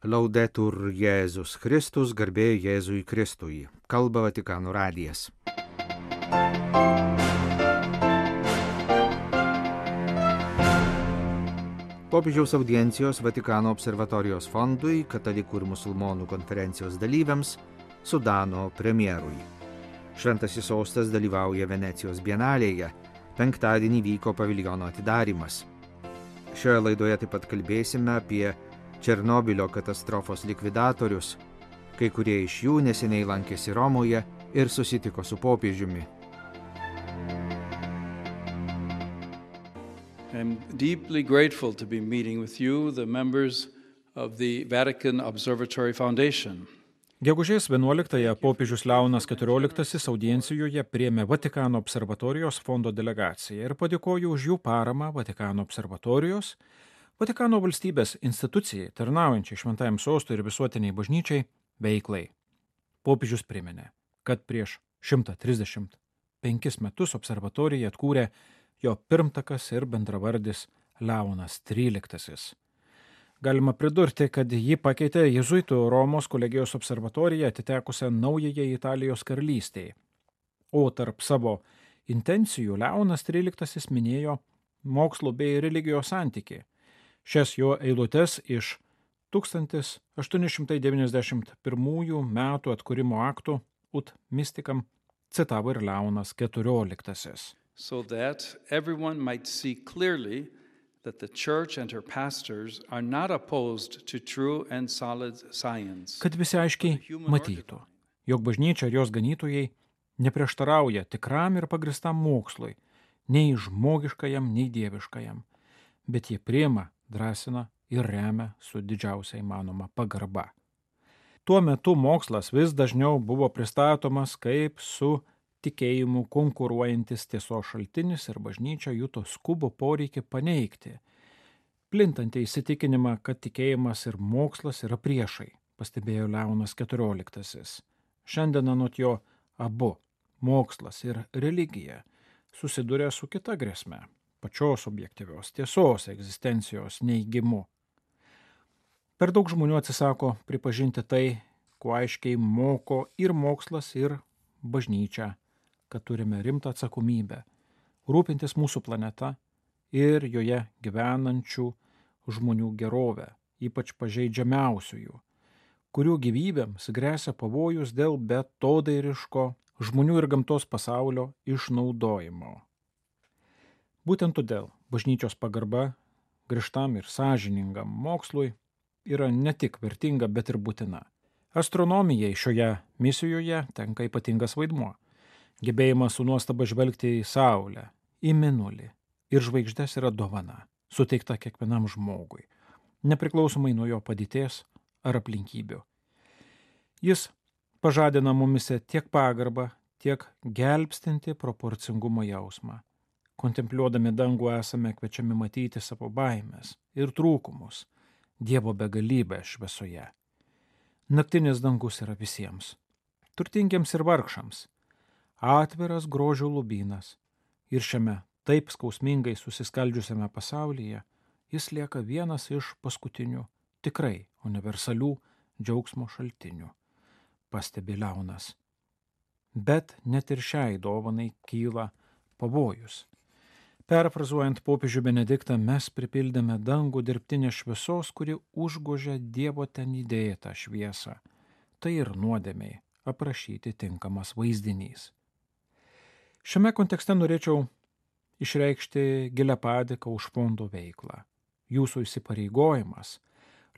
Laudetur Jėzus Kristus, garbė Jėzui Kristui. Kalba Vatikano radijas. Popiežiaus audiencijos Vatikano observatorijos fondui, katalikų ir musulmonų konferencijos dalyviams, Sudano premjerui. Šventasis sostas dalyvauja Venecijos bienalėje. Penktadienį vyko paviljono atidarymas. Šioje laidoje taip pat kalbėsime apie Černobylio katastrofos likvidatorius. Kai kurie iš jų neseniai lankėsi Romoje ir susitiko su popiežiumi. I'm deeply grateful to be meeting with you, the members of the Vatican Observatory Foundation. Gegužės 11-ąją popiežius Leonas XIV audiencijoje priėmė Vatikano observatorijos fondo delegaciją ir padėkojo už jų paramą Vatikano observatorijos, Vatikano valstybės institucijai, tarnaujančiai šventajam sostui ir visuotiniai bažnyčiai, veiklai. Popiežius priminė, kad prieš 135 metus observatoriją atkūrė jo pirmtakas ir bendravardis Leonas XIII. Galima pridurti, kad jį pakeitė jėzuitų Romos kolegijos observatorija atitekusią naujajai Italijos karalystei. O tarp savo intencijų Leonas XIII minėjo mokslo bei religijos santykį. Šias jo eilutes iš 1891 metų atkūrimo aktų Ut Mysticam citavo ir Leonas XIV. So that everyone might see clearly that the church and her pastors are not opposed to true and solid science. Kad visi aiškiai matytų, jog bažnyčia ir jos ganytojai neprieštarauja tikram ir pagristam mokslui, nei žmogiškajam, nei dieviškajam, bet jie priima, drąsina ir remia su didžiausia įmanoma pagarba. Tuo metu mokslas vis dažniau buvo pristatomas kaip su tikėjimu konkuruojantis tiesos šaltinis ir bažnyčia juto skubų poreikį paneigti, plintantį įsitikinimą, kad tikėjimas ir mokslas yra priešai, pastebėjo Leonas XIV. Šiandien anot jo abu, mokslas ir religija, susiduria su kita grėsme, pačios objektyvios tiesos egzistencijos neigimu. Per daug žmonių atsisako pripažinti tai, kuo aiškiai moko ir mokslas, ir bažnyčia, kad turime rimtą atsakomybę rūpintis mūsų planeta ir joje gyvenančių žmonių gerovę, ypač pažeidžiamiausiųjų, kurių gyvybėms gresia pavojus dėl beatodairiško žmonių ir gamtos pasaulio išnaudojimo. Būtent todėl bažnyčios pagarba griežtam ir sąžiningam mokslui yra ne tik vertinga, bet ir būtina. Astronomijai šioje misijoje tenka ypatingas vaidmuo. Gebėjimas su nuostaba žvelgti į Saulę, į Mėnulį ir žvaigždes yra dovana, suteikta kiekvienam žmogui, nepriklausomai nuo jo padėties ar aplinkybių. Jis pažadina mumise tiek pagarbą, tiek gelbstinti proporcingumo jausmą. Kontempliuodami dangų esame kviečiami matyti savo baimės ir trūkumus, Dievo begalybę šviesoje. Naktinis dangus yra visiems, turtingiems ir vargšams, atviras grožio lobynas, ir šiame taip skausmingai susiskaldžiusiame pasaulyje jis lieka vienas iš paskutinių tikrai universalių džiaugsmo šaltinių, pastebi Leonas. Bet net ir šiai dovanai kyla pavojus. Perfrazuojant popiežių Benediktą, mes pripildėme dangų dirbtinę šviesos, kuri užgožia Dievo ten įdėtą šviesą. Tai ir nuodėmiai aprašyti tinkamas vaizdinys. Šiame kontekste norėčiau išreikšti gilią padėką už fondo veiklą. Jūsų įsipareigojimas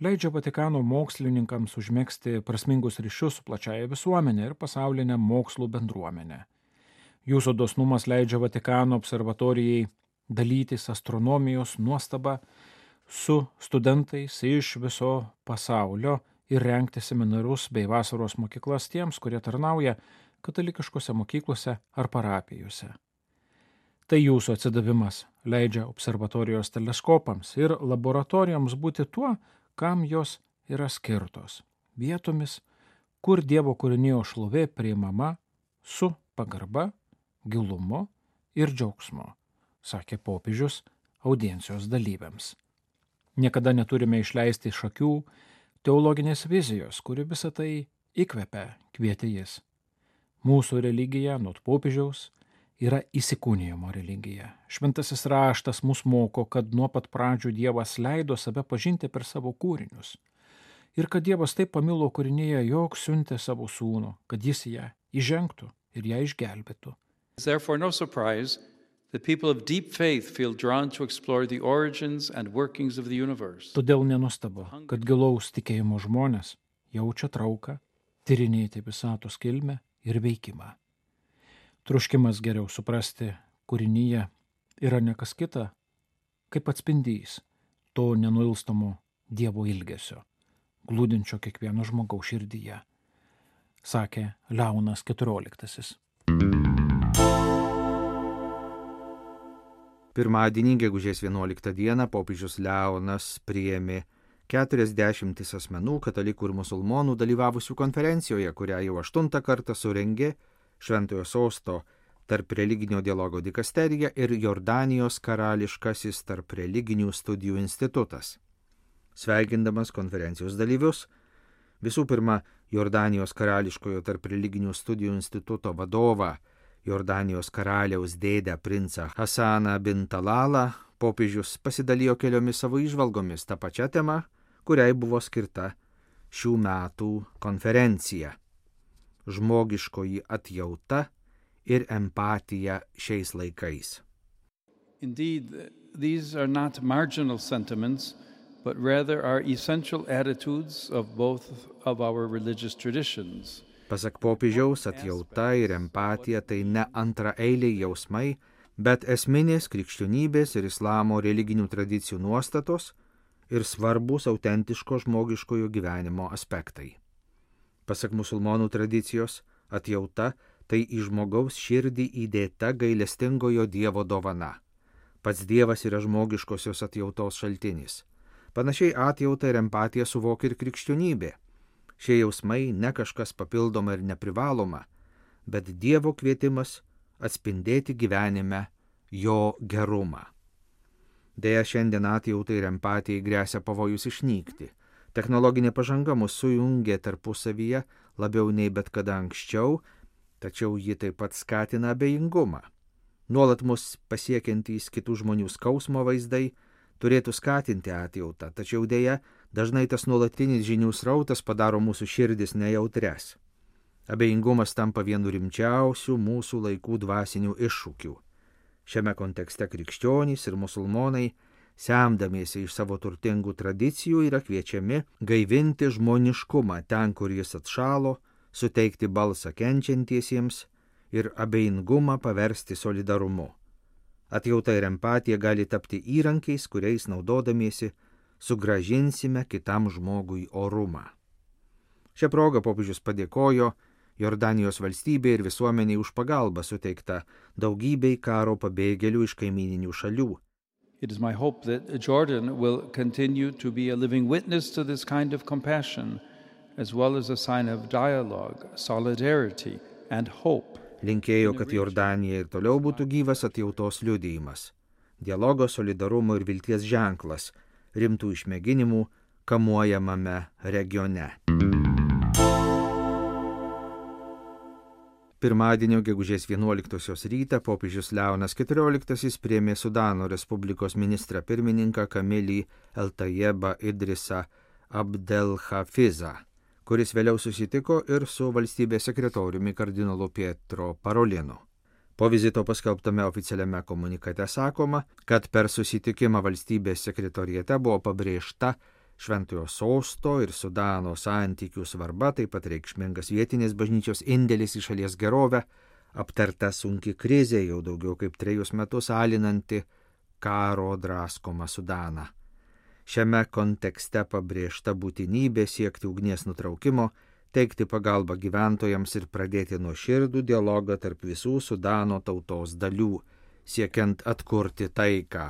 leidžia Vatikano mokslininkams užmegzti prasmingus ryšius su plačiaja visuomenė ir pasaulinė mokslų bendruomenė. Jūsų dosnumas leidžia Vatikano observatorijai dalytis astronomijos nuostaba su studentais iš viso pasaulio ir rengti seminarus bei vasaros mokyklas tiems, kurie tarnauja katalikiškose mokyklose ar parapijose. Tai jūsų atsidavimas leidžia observatorijos teleskopams ir laboratorijoms būti tuo, kam jos yra skirtos, vietomis, kur Dievo kūrinijos šlovė priimama su pagarba, gilumu ir džiaugsmu, sakė popiežius audiencijos dalyviams. Niekada neturime išleisti iš akių teologinės vizijos, kuri visą tai įkvepia, kvietė jis. Mūsų religija, nuo popiežiaus, yra įsikūnijimo religija. Šventasis raštas mus moko, kad nuo pat pradžių Dievas leido save pažinti per savo kūrinius. Ir kad Dievas taip pamilo kūrinėje, jog siuntė savo sūnų, kad jis ją įžengtų ir ją išgelbėtų. Therefore, no surprise that people of deep faith feel drawn to explore the origins and workings of the universe. Todėl nenustabu, kad gilaus tikėjimo žmonės jaučia trauką tyrinėti visatos kilmę ir veikimą. Troškimas geriau suprasti kūrinyje yra ne kas kita, kaip atspindys to nenuilstamo Dievo ilgesio, glūdinčio kiekvieno žmogaus širdyje, sakė Leonas XIV. Pirmadienį, gegužės 11 dieną, popiežius Leonas priėmė 40 asmenų, katalikų ir musulmonų dalyvavusių konferencijoje, kurią jau 8 kartą surengė Šventojo Sosto tarp religinio dialogo dikasterija ir Jordanijos karališkasis tarp religinių studijų institutas. Sveikindamas konferencijos dalyvius, visų pirma, Jordanijos karališkojo tarp religinių studijų instituto vadovą, Jordanijos karaliaus dėdę princą Hasaną bin Talalą, popiežius pasidalijo keliomis savo įžvalgomis tą pačią temą, kuriai buvo skirta šių metų konferencija – žmogiškoji atjauta ir empatija šiais laikais. Indeed, these are not marginal sentiments, but rather are essential attitudes of both of our religious traditions. Pasak popiežiaus, atjauta ir empatija tai ne antraeiliai jausmai, bet esminės krikščionybės ir islamo religinių tradicijų nuostatos ir svarbus autentiško žmogiškojo gyvenimo aspektai. Pasak musulmonų tradicijos, atjauta tai į žmogaus širdį įdėta gailestingojo Dievo dovana. Pats Dievas yra žmogiškosios atjautos šaltinis. Panašiai atjautą ir empatiją suvokia ir krikščionybė. Šie jausmai ne kažkas papildoma ir neprivaloma, bet Dievo kvietimas atspindėti gyvenime jo gerumą. Deja, šiandien atjautai ir empatijai gresia pavojus išnykti. Technologinė pažanga mus sujungia tarpusavyje labiau nei bet kada anksčiau, tačiau ji taip pat skatina abejingumą. Nuolat mus pasiekiantys kitų žmonių skausmo vaizdai turėtų skatinti atjautą, tačiau deja, dažnai tas nuolatinis žinių srautas padaro mūsų širdis nejautres. Abejingumas tampa vienu rimčiausių mūsų laikų dvasinių iššūkių. Šiame kontekste krikščionys ir musulmonai, semdamiesi iš savo turtingų tradicijų, yra kviečiami gaivinti žmoniškumą ten, kur jis atšalo, suteikti balsą kenčiantiesiems ir abejingumą paversti solidarumu. Atjauta ir empatija gali tapti įrankiais, kuriais naudodamiesi sugrąžinsime kitam žmogui orumą. Šią progą popiežius padėkojo Jordanijos valstybei ir visuomeniai už pagalbą suteiktą daugybei karo pabėgėlių iš kaimyninių šalių. It is my hope that Jordan will continue to be a living witness to this kind of compassion, as well as a sign of dialogue, solidarity and hope. Linkėjo, kad Jordanija ir toliau būtų gyvas atjautos liudijimas, dialogo, solidarumo ir vilties ženklas rimtų išmėginimų kamuojamame regione. Pirmadienio gegužės 11 rytą popiežius Leonas XIV priėmė Sudano Respublikos ministrą pirmininką Kamilį Eltajebą Idrisą Abdelhafizą, kuris vėliau susitiko ir su valstybės sekretoriumi kardinolu Pietro Parolinu. Po vizito paskelbtame oficialiame komunikate sakoma, kad per susitikimą valstybės sekretoriate buvo pabrėžta Šventojo Sosto ir Sudano santykių svarba, taip pat reikšmingas vietinės bažnyčios indėlis į šalies gerovę, aptarta sunki krizė jau daugiau kaip 3 metus alinanti karo draskomą Sudaną. Šiame kontekste pabrėžta būtinybė siekti ugnies nutraukimo, teikti pagalbą gyventojams ir pradėti nuoširdų dialogą tarp visų Sudano tautos dalių, siekiant atkurti taiką.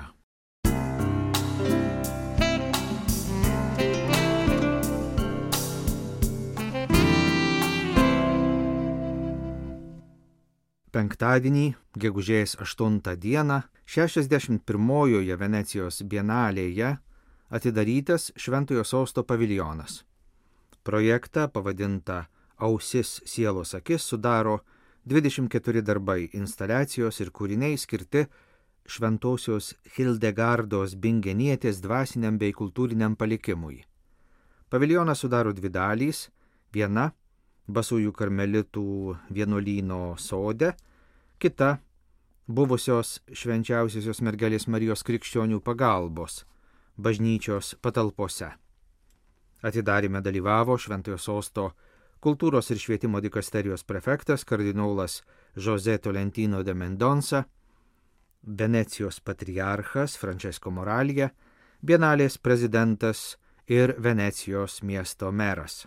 Penktadienį, gegužės 8 dieną, 61-ojoje Venecijos bienalėje atidarytas Šventojo Sosto paviljonas. Projektą pavadintą Ausis sielos akis sudaro 24 darbai, instaliacijos ir kūriniai skirti šventosios Hildegardos Bingenietės dvasiniam bei kultūriniam palikimui. Paviljoną sudaro 2 dalys, viena Basųjų karmelitų vienuolyno sode, kita buvusios švenčiausiosios mergelės Marijos krikščionių pagalbos bažnyčios patalpose. Atidaryme dalyvavo Šventojo Sosto kultūros ir švietimo dikasterijos prefektas kardinolas José Tolentino de Mendonça, Venecijos patriarchas Francesco Moralija, Bienalės prezidentas ir Venecijos miesto meras.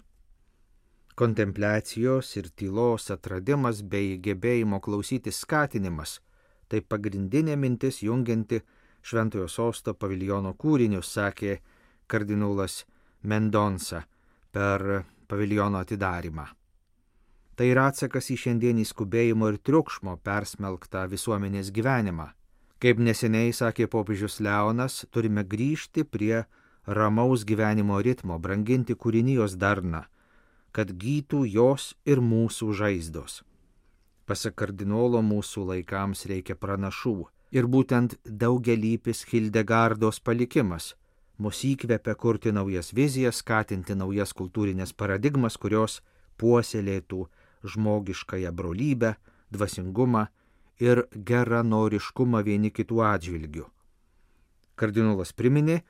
Kontempliacijos ir tylos atradimas bei gebėjimo klausytis skatinimas – tai pagrindinė mintis jungianti Šventojo Sosto paviljono kūrinius, sakė kardinolas Mendonça per paviljono atidarymą. Tai yra atsakas į šiandienį skubėjimo ir triukšmo persmelktą visuomenės gyvenimą. Kaip neseniai sakė popiežius Leonas, turime grįžti prie ramaus gyvenimo ritmo, branginti kūrinijos darną, kad gytų jos ir mūsų žaizdos. Pasak kardinolo, mūsų laikams reikia pranašų ir būtent daugialypis Hildegardos palikimas mus įkvepia kurti naujas vizijas, skatinti naujas kultūrinės paradigmas, kurios puoselėtų žmogiškąją brolybę, dvasingumą ir geranoriškumą vieni kitų atžvilgių. Kardinolas priminė,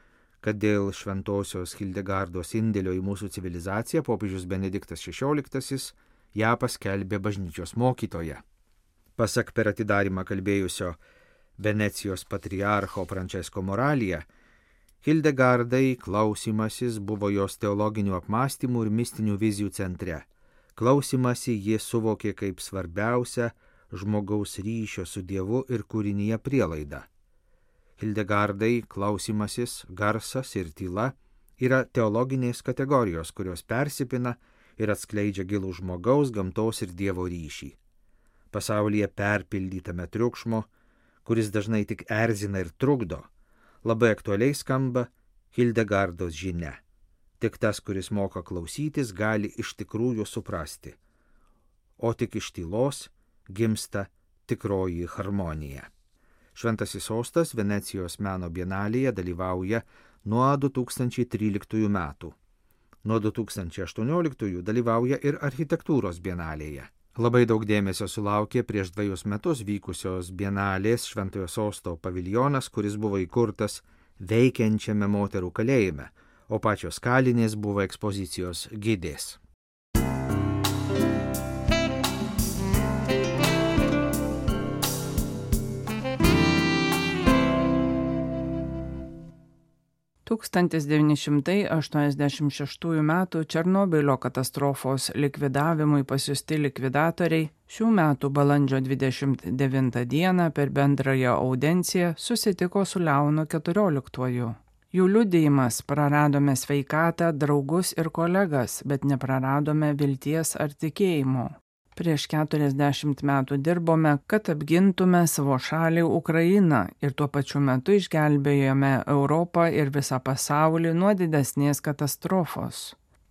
kad dėl šventosios Hildegardos indėlio į mūsų civilizaciją popiežius Benediktas XVI ją paskelbė bažnyčios mokytoja. Pasak per atidarymą kalbėjusio Venecijos patriarcho Francesco Moralija, Hildegardai klausimasis buvo jos teologinių apmąstymų ir mistinių vizijų centre. Klausimasi ji suvokė kaip svarbiausią žmogaus ryšio su Dievu ir kūrinyje prielaidą. Hildegardai klausimasis, garsas ir tyla yra teologinės kategorijos, kurios persipina ir atskleidžia gilų žmogaus, gamtos ir Dievo ryšį. Pasaulyje perpildytame triukšmo, kuris dažnai tik erzina ir trukdo, labai aktualiai skamba Hildegardos žinia. Tik tas, kuris moka klausytis, gali iš tikrųjų suprasti, o tik iš tylos gimsta tikroji harmonija. Šventasis Sostas Venecijos meno bienalėje dalyvauja nuo 2013 metų. Nuo 2018 dalyvauja ir architektūros bienalėje. Labai daug dėmesio sulaukė prieš 2 metus vykusios bienalės Šventojo Sosto paviljonas, kuris buvo įkurtas veikiančiame moterų kalėjime, o pačios kalinės buvo ekspozicijos gidės. Tūkstantis 1986 m. Černobylio katastrofos likvidavimui pasiųsti likvidatoriai šių metų balandžio 29 d. per bendrąją audienciją susitiko su Leonu XIV. Jų liudijimas: praradome sveikatą, draugus ir kolegas, bet nepraradome vilties ar tikėjimo. Prieš 40 metų dirbome, kad apgintume savo šalį Ukrainą ir tuo pačiu metu išgelbėjome Europą ir visą pasaulį nuo didesnės katastrofos.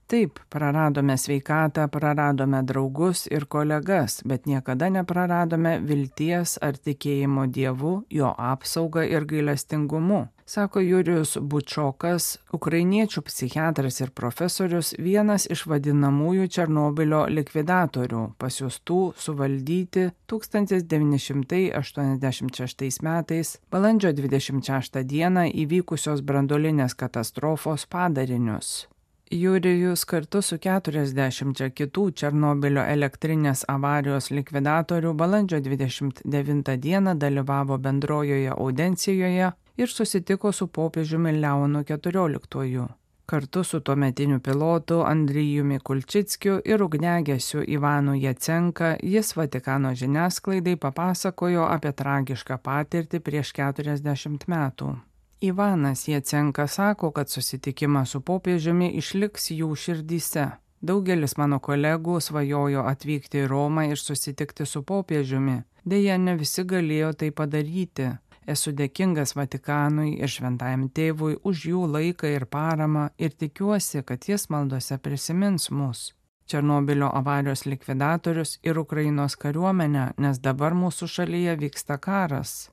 Taip, praradome sveikatą, praradome draugus ir kolegas, bet niekada nepraradome vilties ar tikėjimo Dievu, jo apsaugą ir gailestingumu, sako Jurijus Bučokas, ukrainiečių psichiatras ir profesorius, vienas iš vadinamųjų Černobylio likvidatorių, pasiųstų suvaldyti 1986 metais balandžio 26 dieną įvykusios branduolinės katastrofos padarinius. Jurijus kartu su 40 kitų Černobylio elektrinės avarijos likvidatorių balandžio 29 dieną dalyvavo bendrojoje audiencijoje ir susitiko su popiežiumi Leonu XIV. Kartu su tuometiniu pilotu Andrijumi Kulčickiu ir ugniagesiu Ivanu Jacenka jis Vatikano žiniasklaidai papasakojo apie tragišką patirtį prieš 40 metų. Ivanas Jacenka sako, kad susitikimas su popiežiumi išliks jų širdyse. Daugelis mano kolegų svajojo atvykti į Romą ir susitikti su popiežiumi. Deja, ne visi galėjo tai padaryti. Esu dėkingas Vatikanui ir Šventajam Tėvui už jų laiką ir paramą ir tikiuosi, kad jis maldose prisimins mus, Černobylio avarijos likvidatorius ir Ukrainos kariuomenę, nes dabar mūsų šalyje vyksta karas.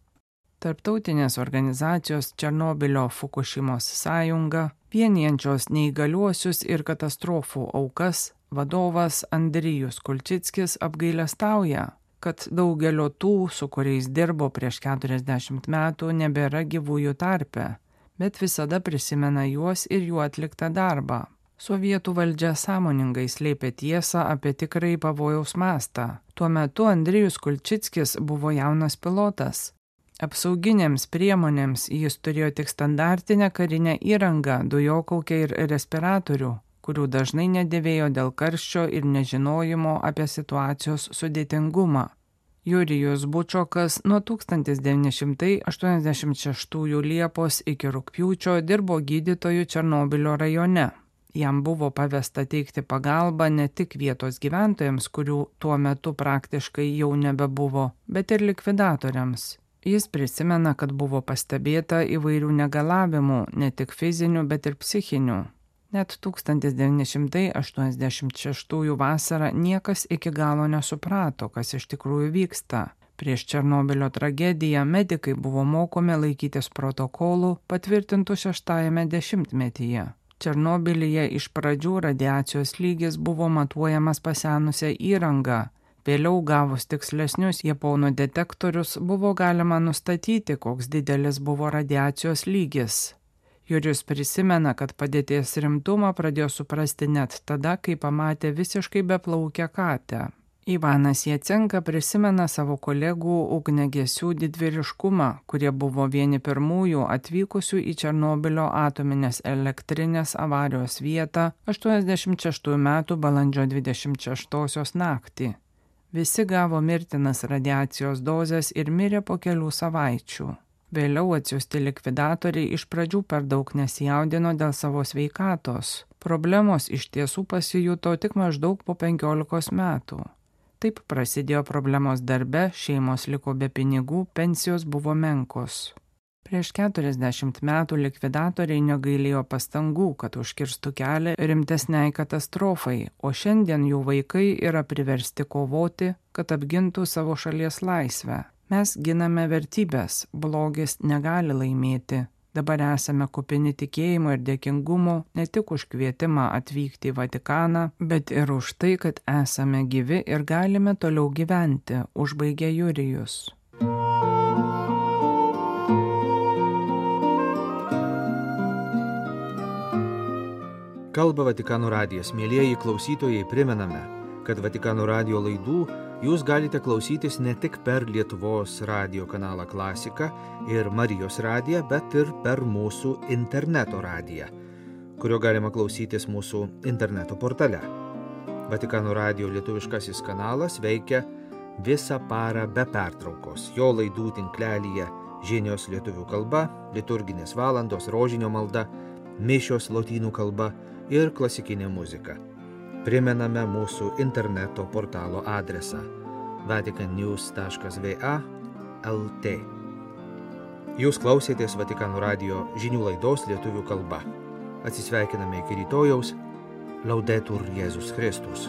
Tarptautinės organizacijos Černobylio Fukušimos sąjunga, vienijančios neįgaliuosius ir katastrofų aukas, vadovas Andrijus Kulčickis apgailestauja, kad daugelio tų, su kuriais dirbo prieš 40 metų, nebėra gyvųjų tarpe, bet visada prisimena juos ir jų atliktą darbą. Sovietų valdžia sąmoningai slėpė tiesą apie tikrai pavojaus mastą. Tuo metu Andrijus Kulčickis buvo jaunas pilotas. Apsauginėms priemonėms jis turėjo tik standartinę karinę įrangą, dujokaukę ir respiratorių, kurių dažnai nedėvėjo dėl karščio ir nežinojimo apie situacijos sudėtingumą. Jurijus Bučokas nuo 1986 Liepos iki rugpjūčio dirbo gydytoju Černobylio rajone. Jam buvo pavesta teikti pagalbą ne tik vietos gyventojams, kurių tuo metu praktiškai jau nebebuvo, bet ir likvidatoriams. Jis prisimena, kad buvo pastebėta įvairių negalavimų, ne tik fizinių, bet ir psichinių. Net 1986 vasarą niekas iki galo nesuprato, kas iš tikrųjų vyksta. Prieš Černobylio tragediją medikai buvo mokomi laikytis protokolų patvirtintų 6-ame dešimtmetyje. Černobylyje iš pradžių radiacijos lygis buvo matuojamas pasenusią įrangą. Vėliau gavus tikslesnius japonų detektorius buvo galima nustatyti, koks didelis buvo radiacijos lygis. Jurijus prisimena, kad padėties rimtumą pradėjo suprasti net tada, kai pamatė visiškai beplaukę katę. Ivanas Jacenka prisimena savo kolegų ugniagesių didvyriškumą, kurie buvo vieni pirmųjų atvykusių į Černobylio atominės elektrinės avarijos vietą 86 metų balandžio 26 naktį. Visi gavo mirtinas radiacijos dozes ir mirė po kelių savaičių. Vėliau atsiųsti likvidatoriai iš pradžių per daug nesijaudino dėl savo sveikatos. Problemos iš tiesų pasijuto tik maždaug po 15 metų. Taip prasidėjo problemos darbe, šeimos liko be pinigų, pensijos buvo menkos. Prieš 40 metų likvidatoriai negailėjo pastangų, kad užkirstų kelią rimtesniai katastrofai, o šiandien jų vaikai yra priversti kovoti, kad apgintų savo šalies laisvę. Mes giname vertybės, blogis negali laimėti. Dabar esame kupini tikėjimo ir dėkingumo ne tik už kvietimą atvykti į Vatikaną, bet ir už tai, kad esame gyvi ir galime toliau gyventi, užbaigė Jurijus. Kalba Vatikano radijas. Mielieji klausytojai, primename, kad Vatikano radijo laidų jūs galite klausytis ne tik per Lietuvos radijo kanalą Klasika ir Marijos radiją, bet ir per mūsų interneto radiją, kurio galima klausytis mūsų interneto portale. Vatikano radijo lietuviškasis kanalas veikia visą parą be pertraukos. Jo laidų tinklelyje žinios lietuvių kalba, liturginės valandos, rožinio malda, mišios lotynų kalba ir klasikinė muzika. Primename mūsų interneto portalo adresą vaticannews.va/lt. Jūs klausėtės Vatikano radijo žinių laidos lietuvių kalba. Atsisveikiname iki rytojaus. Laudetur Jėzus Kristus.